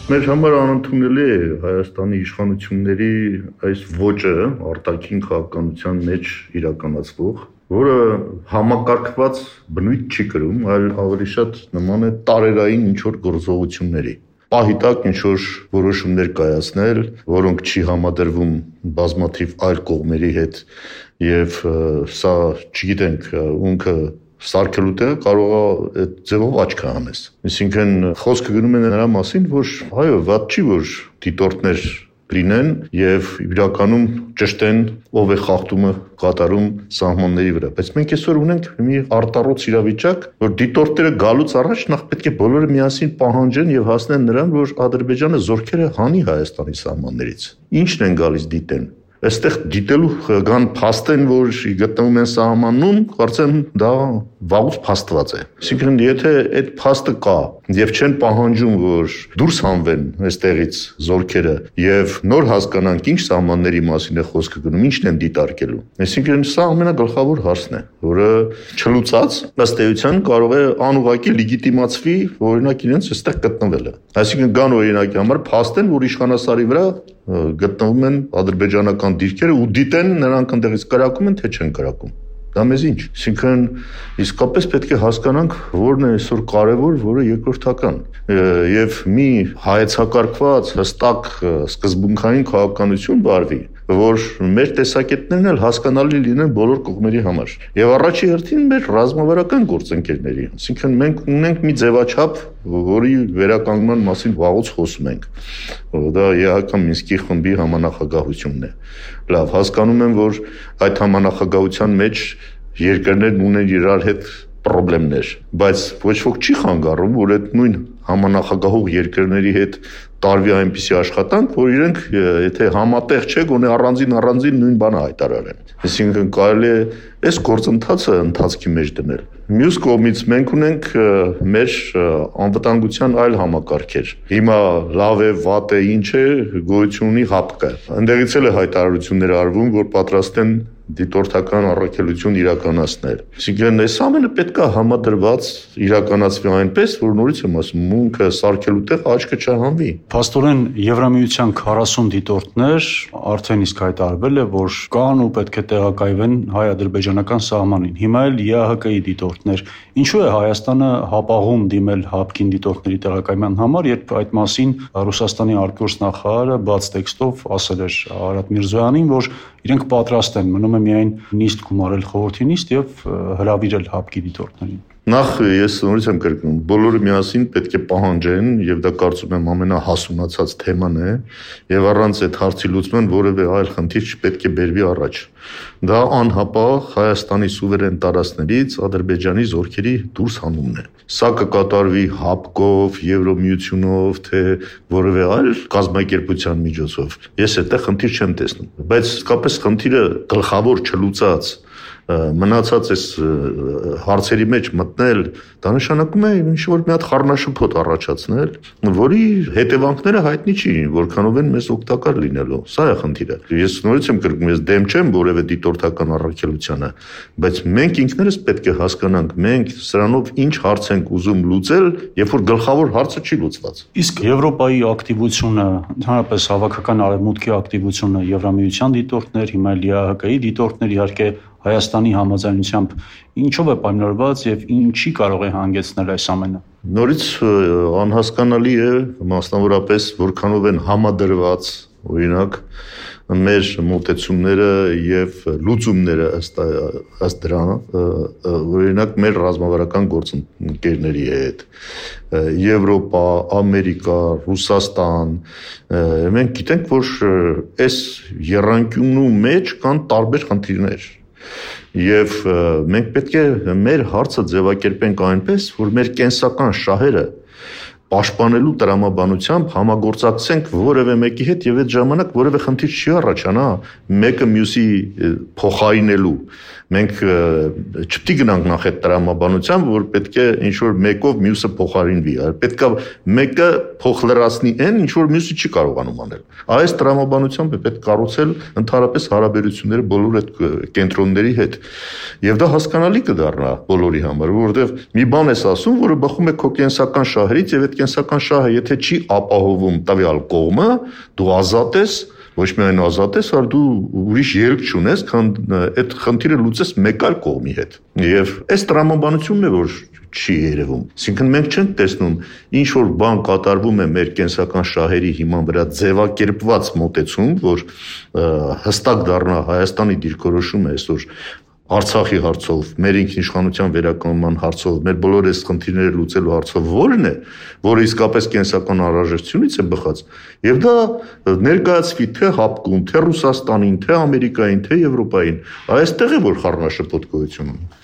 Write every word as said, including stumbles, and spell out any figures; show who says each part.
Speaker 1: Մեր համար անընդունելի է Հայաստանի իշխանությունների այս ոճը արտաքին քաղաքականության մեջ իրականացվող, որը համակարգված բնույթ չի կրում, այլ ավելի շատ նման է տարերային ինչ-որ գործողությունների։ Պահի տակ ինչ-որ որոշումներ կայացնել, որոնք չի համադրվում բազմաթիվ այլ կողմերի հետ եւ սա չգիտենք ունքը սարքելու տեղը կարող է այդ ձևով աչքը հանես։ Այսինքն խոսքը գնում է նրա մասին, որ այո, վատ չի, որ դիտորդներ լինեն եւ իրականում ճշտեն ով է խախտումը կատարում սահմանների վրա, բայց մենք այսօր ունենք մի արտառոց իրավիճակ, որ դիտորդները գալուց առաջ նախ պետք է բոլորը միասին պահանջեն եւ հասնեն նրան, որ Ադրբեջանը զորքերը հանի Հայաստանի սահմաններից։ Ինչն են գալիս դիտեն։ Այստեղ դիտելու կան փաստեն, որ գտնվում են սահմանում, կարծեմ դա վաղուց փաստված է։ Այսինքն եթե այդ փաստը կա եւ չեն պահանջում, որ դուրս հանվեն այստեղից զորքերը եւ նոր հասկանանք ինչ սահմանների մասին է խոսքը գնում, ինչն են դիտարկելու։ Այսինքն սա ամենագլխավոր հարցն է, որը չլուծած ըստ էության կարող է անուղղակի լեգիտիմացվի, օրինակ իրենց այստեղ գտնվելը։ Այսինքն կան օրինակի համար փաստեն, որ իշխանասարի վրա գտնվում են ադրբեջանական դիրքերը ու դիտեն նրանք ընդեղից կրակում են, թե չեն կրակում։ Դա մեզ ինչ։ Այսինքն իսկապես պետք է հասկանանք, որն է այսօր կարևոր, որը երկրորդական։ Եվ մի հայեցակարգված, հստակ, սկզբունքային քաղաքականություն վարվի, որ մեր տեսակետներն էլ հասկանալի լինեն բոլոր կողմերի համար։ Եվ առաջի հերթին մեր ռազմավարական գործընկերների։ Այսինքն մենք ունենք մի ձևաչափ, որի վերականգնման մասին վաղուց խոսում ենք։ Դա ԵԱՀԿ Մինսկի խմբի համանախագահությունն է։ Լավ, հասկանում եմ, որ այդ համանախագահության մեջ երկրներն ունեն իրար հետ խնդիրներ, բայց ոչ ոք չի խանգարում, որ այդ նույն համանախագահող երկրների հետ տարվի այնպիսի աշխատանք, որ իրենք եթե համատեղ չէ, գոնե առանձին առանձին նույն բանը հայտարարեն։ Այսինքն կարելի է այս գործընթացը ընթացքի մեջ դնել։ Մյուս կողմից մենք ունենք մեր անվտանգության այլ համակարգեր։ Հիմա լավ է, վատ է, ինչ է, գոյություն ունի ՀԱՊԿ-ը։ Այնտեղից էլ է հայտարարություններ արվում, որ պատրաստ են դիտորդական առաքելություն իրականացնել։ Այսինքն այս ամենը պետք է համադրված իրականացվի այնպես, որ նորից եմ ասում, մունքը սարքելու տեղ աչքը չհանվի։
Speaker 2: Փաստորեն Եվրամիության քառասուն դիտորդներ արդեն իսկ հայտարարվել է, որ կան ու պետք է տեղակայվեն հայ-ադրբեջանական սահմանին։ Հիմա էլ ԵԱՀԿ-ի դիտորդներ։ Ինչու է Հայաստանը հապաղում դիմել ՀԱՊԿ-ին դիտորդների տեղակայման համար, երբ այդ մասին Ռուսաստանի արտգործնախարարը բաց տեքստով ասել էր Արադ Միրզոյանին, որ իրենք պատրաստ են, մնում է միայն նիստ գումարել խորհրդի նիստ եւ հրավիրել ՀԱՊԿ-ի դիտորդներին։
Speaker 1: Նախ ես նորից եմ կրկնում, բոլորը միասին պետք է պահանջեն եւ դա կարծում եմ ամենահասունացած թեման է եւ առանց այդ հարցի լուծման որևէ այլ խնդիր չպետք է բերվի առաջ։ Դա անհապաղ Հայաստանի սուվերեն տարածքներից Ադրբեջանի զորքերի դուրս հանումն է։ Սա կկատարվի ՀԱՊԿ-ով, Եվրոմիությունով, թե որևէ այլ կազմակերպության միջոցով։ Ես այդտեղ խնդիր չեմ տեսնում, բայց իսկապես խնդիրը գլխավոր չլուծած մնացած այս հարցերի մեջ մտնել, դա նշանակում է ինչ-որ մի հատ խառնաշփոթ առաջացնել, որի հետևանքները հայտնի չի, որքանով են մեզ օգտակար լինելու։ Սա է խնդիրը։ Ես նորից եմ կրկնում, ես դեմ չեմ որևէ դիտորդական առաքելությանը, բայց մենք ինքներս պետք է հասկանանք, մենք սրանով ինչ հարց ենք ուզում լուծել, երբ որ գլխավոր հարցը չի լուծված։
Speaker 2: Իսկ Եվրոպայի ակտիվությունը, ընդհանրապես հավաքական արևմուտքի ակտիվությունը, Եվրամիության դիտորդներ, հիմա ԼԻԱՀԿ-ի դիտորդներ, իհարկե Հայաստանի համաձայնությամբ ինչով է պայմանավորված եւ ինչի կարող է հանգեցնել այս ամենը։
Speaker 1: Նորից անհասկանալի է մասնավորապես որքանով են համադրված, օրինակ, մեր մոտեցումները եւ լուծումները ըստ ըստ դրան, օրինակ մեր ռազմավարական գործընկերների հետ, Եվրոպա, Ամերիկա, Ռուսաստան, մենք գիտենք, որ այս եռանկյունու մեջ կան տարբեր խնդիրներ։ Եվ մենք պետք է մեր հարցը ձևակերպենք այնպես, որ մեր կենսական շահերը պաշտպանելու տրամաբանությամբ համագործակցենք որևէ մեկի հետ եւ այդ ժամանակ որևէ խնդիր չի առաջանա մեկը մյուսի փոխարինելու։ Մենք չպետք է գնանք նախ այդ տրամաբանությամբ, որ պետք է ինչ-որ մեկով մյուսը փոխարինվի, այլ պետք է մեկը փոխլրացնի այն, ինչ-որ մյուսը չի կարողանում անել։ Այս տրամաբանությամբ է պետք կառուցել ընդհանրապես հարաբերությունները բոլոր այդ կենտրոնների հետ։ Եվ դա հասկանալի կդառնա բոլորի համար, որովհետեւ մի բան ես ասում, որը բխում է քո կենսական շահերից եւ այդ կենսական շահը, եթե չի ապահովում տվյալ կողմը, դու ազատ ես, ոչ միայն ազատ ես, այլ դու ուրիշ ելք չունես, քան այդ խնդիրը լուծես մեկ այլ կողմի հետ։ Եվ այս տրամաբանությունն է, որ չի երևում։ Այսինքն մենք չենք տեսնում ինչ որ բան կատարվում է մեր կենսական շահերի հիման վրա ձևակերպված մոտեցում, որ հստակ դառնա Հայաստանի դիրքորոշումը այսօր Արցախի հարցով, մեր ինքնիշխանության վերականգնման հարցով, մեր բոլոր այս խնդիրները լուծելու հարցով ո՞րն է, որը իսկապես կենսական անհրաժեշտությունից է բխած, եւ դա ներկայացվի թե Հապկում, թե Ռուսաստանին, թե Ամերիկային, թե Եվրոպային, այստեղ է որ խառնաշփոթ գոյություն ունի։